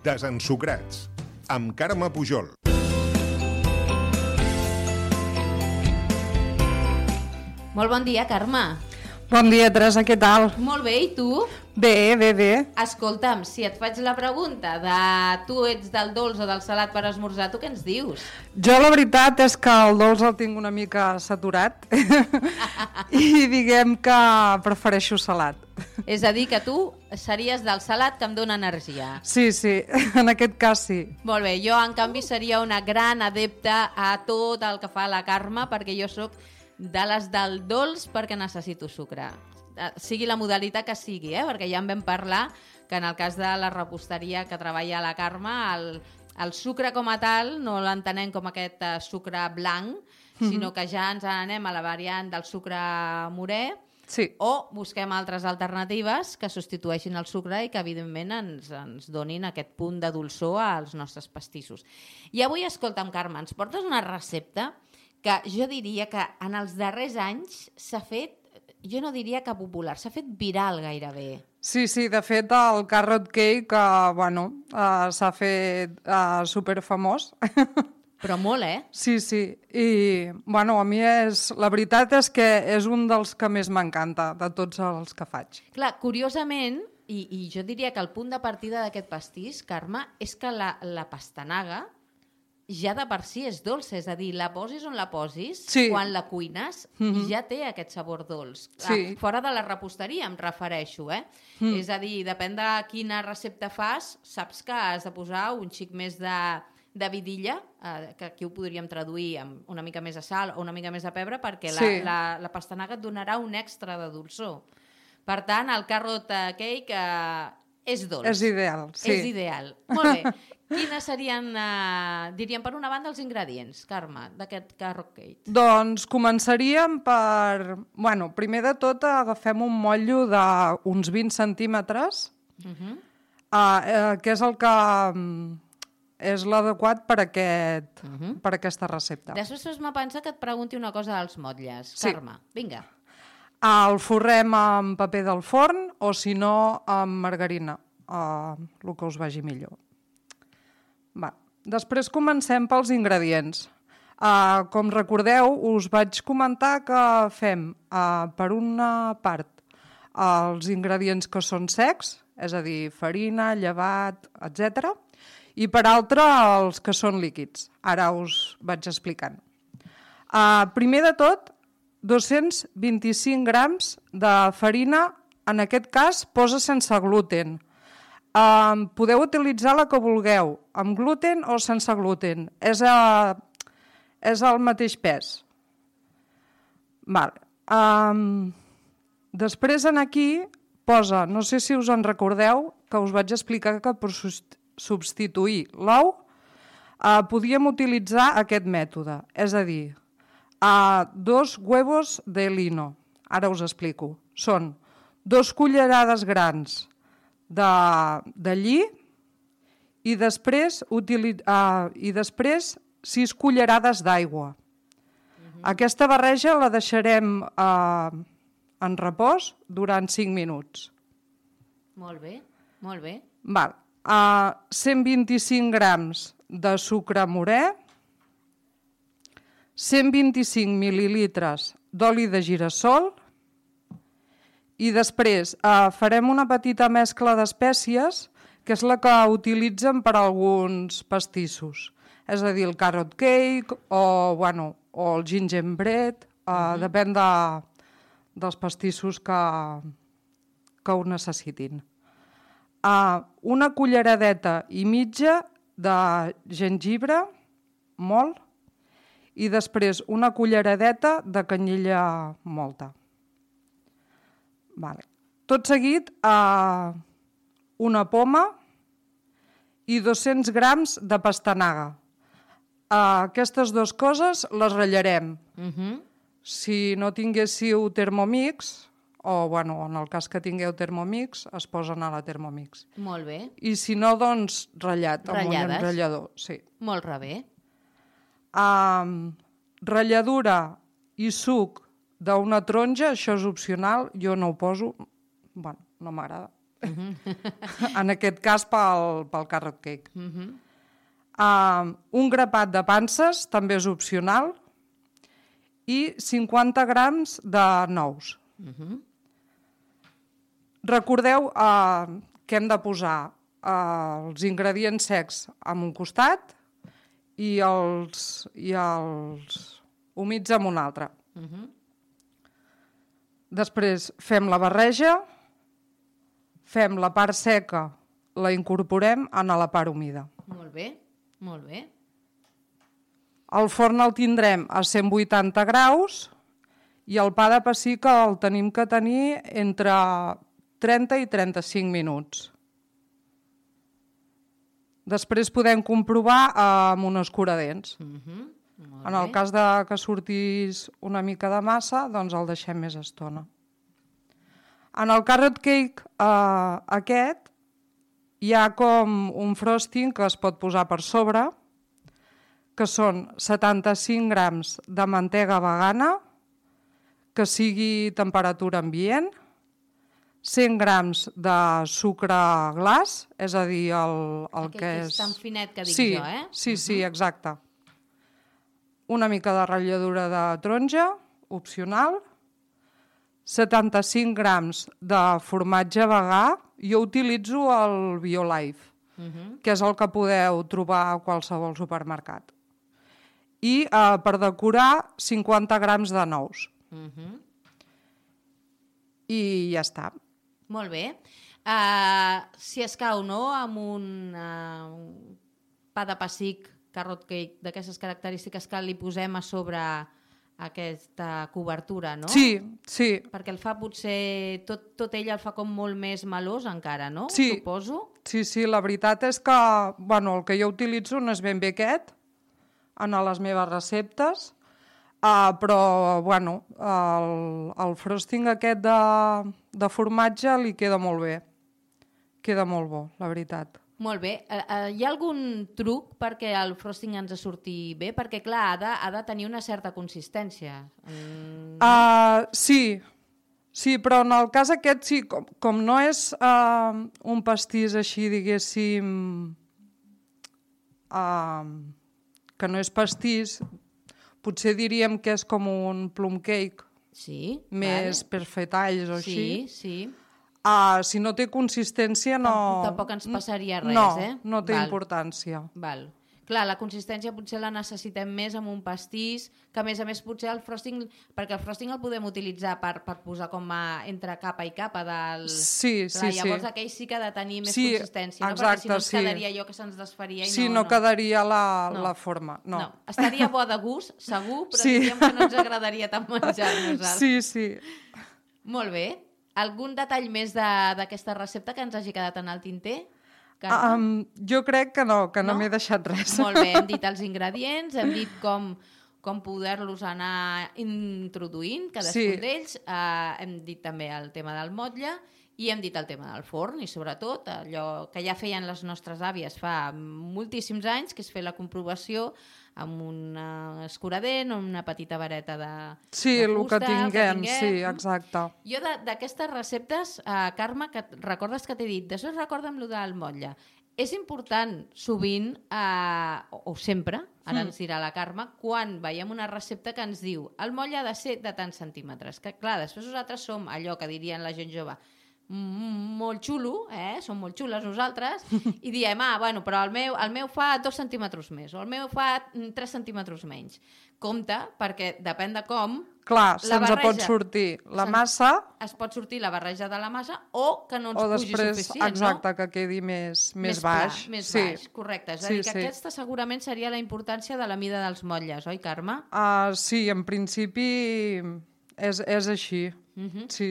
Desensucrats, amb Carme Pujol. Molt bon dia, Carme. Bon dia, Teresa, què tal? Molt bé, i tu? Bé. Escolta'm, si et faig la pregunta de tu ets del dolç o del salat per esmorzar, tu què ens dius? Jo la veritat és que el dolç el tinc una mica saturat i diguem que prefereixo salat. És a dir, que tu series del salat que em dóna energia. Sí, en aquest cas sí. Molt bé, jo en canvi seria una gran adepta a tot el que fa la Carme, perquè jo sóc de les del dolç perquè necessito sucre. Sigui la modalitat que sigui, perquè ja en vam parlar que en el cas de la reposteria que treballa la Carme, el sucre com a tal no l'entenem com aquest sucre blanc, sinó que ja ens anem a la variant del sucre morè, Sí. o busquem altres alternatives que substitueixin el sucre i que evidentment ens donin aquest punt de dolçor als nostres pastissos. I avui, escolta'm, Carme, ens portes una recepta que jo diria que en els darrers anys s'ha fet, jo no diria que popular, s'ha fet viral gairebé. Sí, de fet el carrot cake s'ha fet superfamós. Però molt, Sí, i a mi la veritat és que és un dels que més m'encanta de tots els que faig. Clar, curiosament, i jo diria que el punt de partida d'aquest pastís, Carme, és que la pastanaga ja de per si és dolça, és a dir, la posis on la posis, sí. Quan la cuines, ja té aquest sabor dolç. Sí. Fora de la reposteria, em refereixo, És a dir, depèn de quina recepta fas, saps que has de posar un xic més de vidilla, que aquí ho podríem traduir amb una mica més de sal o una mica més de pebre, perquè sí. la pastanaga et donarà un extra de dolçor. Per tant, el carrot cake és dolç. És ideal, sí. És ideal. Molt bé. Quines serien, diríem, per una banda, els ingredients, Carme, d'aquest carrot cake? Doncs començaríem per... primer de tot agafem un motllo d'uns 20 centímetres, que és el que és l'adequat per aquesta recepta. Després m'ha pensat que et pregunti una cosa dels motlles. Sí. Carme, vinga. El forrem amb paper del forn o, si no, amb margarina, el que us vagi millor. Després comencem pels ingredients. Com recordeu, us vaig comentar que fem, per una part, els ingredients que són secs, és a dir, farina, llevat, etc. I per altra, els que són líquids. Ara us vaig explicant. Primer de tot, 225 grams de farina, en aquest cas posa sense gluten. Podeu utilitzar la que vulgueu, amb gluten o sense gluten. És el mateix pes. Després aquí posa, no sé si us en recordeu, que us vaig explicar que per substituir l'ou podíem utilitzar aquest mètode, és a dir, 2 huevos de lino. Ara us explico. Són 2 cullerades grans de lli i després 6 cullerades d'aigua. Aquesta barreja la deixarem en repòs durant 5 minuts. Molt bé, molt bé. 125 grams de sucre morè, 125 mil·lilitres d'oli de girassol i després farem una petita mescla d'espècies, que és la que utilitzen per a alguns pastissos. És a dir, el carrot cake o el gingerbread, depèn dels pastissos que ho necessitin. Una culleradeta i mitja de gengibre, molt, i després una culleradeta de canyella molta. Tot seguit, una poma i 200 grams de pastanaga. Aquestes dues coses les ratllarem. Si no tinguéssiu Thermomix, o en el cas que tingueu Thermomix, es posen a la Thermomix. Molt bé. I si no, doncs ratllat, amb un Ratllades. ratllador. Sí. Molt bé. Ratlladura i suc d'una taronja, això és opcional, jo no ho poso, no m'agrada. En aquest cas pel carrot cake. Un grapat de panses també és opcional i 50 grams de nous. Recordeu que hem de posar els ingredients secs en un costat i els humits en un altre. Després fem la barreja, fem la part seca, la incorporem a la part humida. Molt bé, molt bé. El forn el tindrem a 180 graus i el pa de pessic el tenim que tenir entre 30 i 35 minuts. Després podem comprovar amb un escuradents. En el cas que sortís una mica de massa, doncs el deixem més estona. En el carrot cake aquest hi ha com un frosting que es pot posar per sobre, que són 75 grams de mantega vegana, que sigui temperatura ambient, 100 grams de sucre glaç, és a dir, el que és... tan finet que dic jo, eh? Sí, exacte. Una mica de ratlladura de taronja, opcional, 75 grams de formatge vegà. Jo utilitzo el BioLife, que és el que podeu trobar a qualsevol supermercat. I per decorar 50 grams de nous. I ja està. Molt bé. Si escau, no?, amb un pa de pessic, carrot cake, d'aquestes característiques que li posem a sobre aquesta cobertura, no? Sí. Perquè el fa potser... Tot ell el fa com molt més melós encara, no? Sí. Suposo. Sí, la veritat és que el que jo utilitzo no és ben bé aquest en les meves receptes, però el frosting aquest de formatge li queda molt bé. Queda molt bo, la veritat. Molt bé. Hi ha algun truc perquè el frosting ens surti bé? Perquè, clar, ha de tenir una certa consistència. Sí, però en el cas aquest, sí, com no és un pastís així, diguéssim, que no és pastís, potser diríem que és com un plum cake, sí, més per fer talls o així. Sí. Si no té consistència, no... Tampoc ens passaria res, No té importància. Val. Clar, la consistència potser la necessitem més amb un pastís, que a més potser el frosting... Perquè el frosting el podem utilitzar per posar com entre capa i capa del... Sí. Llavors aquell sí que ha de tenir més consistència, no? Exacte, perquè si no ens quedaria allò que se'ns desfaria i sí, no quedaria la forma. No. Estaria bo de gust, segur, però diríem que no ens agradaria tant menjar-nos. Sí. Molt bé. Algun detall més d'aquesta recepta que ens hagi quedat en el tinter? Jo crec que no m'he deixat res. Molt bé, hem dit els ingredients, hem dit com poder-los anar introduint, cadascun d'ells, hem dit també el tema del motlle i hem dit el tema del forn i sobretot allò que ja feien les nostres àvies fa moltíssims anys, que és fer la comprovació amb un escuradent o una petita vareta de fusta. El que tinguem, sí, exacte. Jo d'aquestes receptes, Carme, que recordes que t'he dit, després recorda'm allò del motlle. És important sovint, o sempre, ara ens dirà la Carme, quan veiem una recepta que ens diu el motlle ha de ser de tants centímetres. Que clar, després nosaltres som allò que dirien la gent jove, molt xulo, som molt xules nosaltres, i diem, però el meu fa 2 centímetres més, o el meu fa 3 centímetres menys. Compte, perquè depèn de com... Clar, se'ns pot sortir la massa... Es pot sortir la barreja de la massa o que no ens pugi suficient, exacte, que quedi més baix. Més baix, correcte. És a dir, que aquesta segurament seria la importància de la mida dels motlles, oi, Carme? Sí, en principi és així. Sí.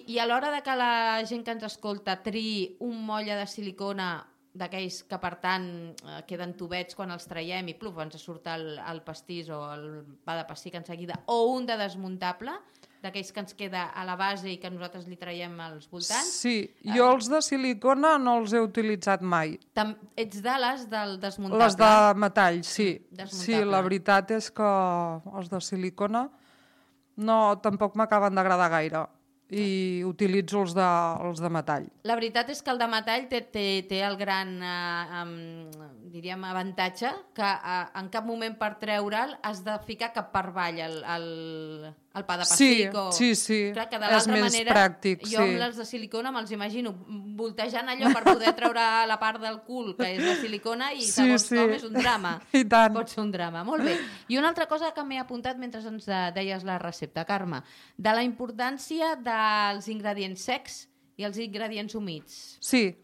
I a l'hora de que la gent que ens escolta triï un motlle de silicona d'aquells que, per tant, queden tubets quan els traiem i pluf, ens surt el pastís o el pa de pessic en seguida, o un de desmuntable, d'aquells que ens queda a la base i que nosaltres li traiem als voltants. Sí, jo els de silicona no els he utilitzat mai. Ets de les del desmuntable? Les de metall, sí. Sí, la veritat és que els de silicona tampoc m'acaben d'agradar gaire. i utilitzo els de metall. La veritat és que el de metall té el gran diríem avantatge que en cap moment per treure'l has de ficar cap per avall el pa de pessic. Sí. Clar, que de és l'altra més manera, pràctic. jo amb les de silicona me'ls imagino voltejant allò per poder treure la part del cul que és de silicona i segons com és un drama. I tant. Pot ser un drama, molt bé. I una altra cosa que m'he apuntat mentre ens deies la recepta, Carme, de la importància dels ingredients secs i els ingredients humits. Sí.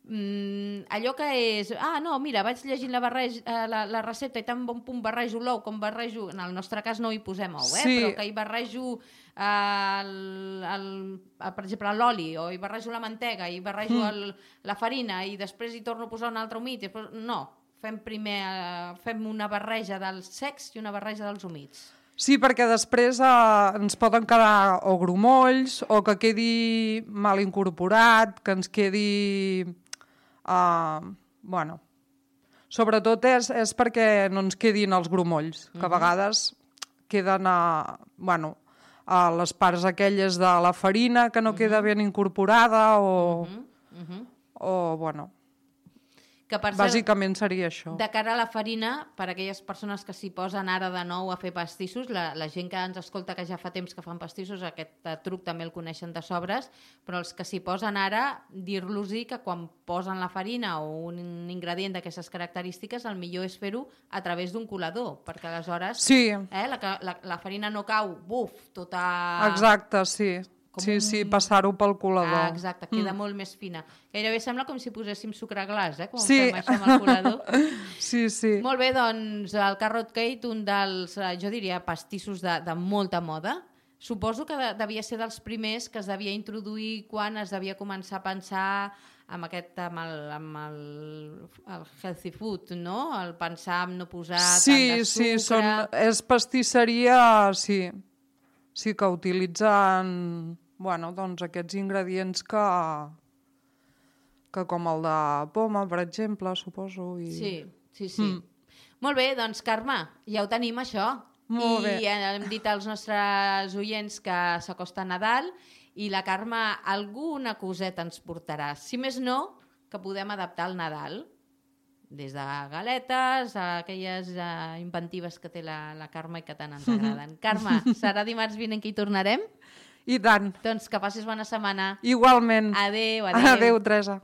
Allò que és... no, mira, vaig llegint la recepta i tan bon punt barrejo l'ou com barrejo... En el nostre cas no hi posem ou, però que hi barrejo per exemple l'oli o hi barrejo la mantega i barrejo la farina i després hi torno a posar un altre humit. No, fem una barreja dels secs i una barreja dels humits. Sí, perquè després ens poden quedar o grumolls o que quedi mal incorporat, que ens quedi... sobretot és perquè no ens quedin els grumolls, que a vegades queden a les parts aquelles de la farina que no queda ben incorporada o que per cert, bàsicament seria això. De cara a la farina, per a aquelles persones que s'hi posen ara de nou a fer pastissos, la gent que ens escolta que ja fa temps que fan pastissos, aquest truc també el coneixen de sobres, però els que s'hi posen ara, dir-los-hi que quan posen la farina o un ingredient d'aquestes característiques, el millor és fer-ho a través d'un colador, perquè aleshores la farina no cau, tota... Exacte, sí. Passar-ho pel colador. Exacte, queda molt més fina. Gairebé sembla com si poséssim sucre glaç, com fem això amb el colador. Sí. Molt bé, doncs el Carrot Cake, un dels, jo diria, pastissos de molta moda. Suposo que devia ser dels primers que es devia introduir quan es devia començar a pensar amb el healthy food, no? El pensar en no posar tant de sucre... És pastisseria, sí, que utilitzen... doncs aquests ingredients que com el de poma, per exemple, suposo. Sí. Molt bé, doncs Carme, ja ho tenim això. Molt bé. I hem dit als nostres oients que s'acosta Nadal i la Carme alguna coseta ens portarà. Si més no, que podem adaptar al Nadal. Des de galetes a aquelles inventives que té la Carme i que tant ens agraden. Carme, serà dimarts vinent que hi tornarem? I tant. Doncs que passis bona setmana. Igualment. Adéu. Adéu, Teresa.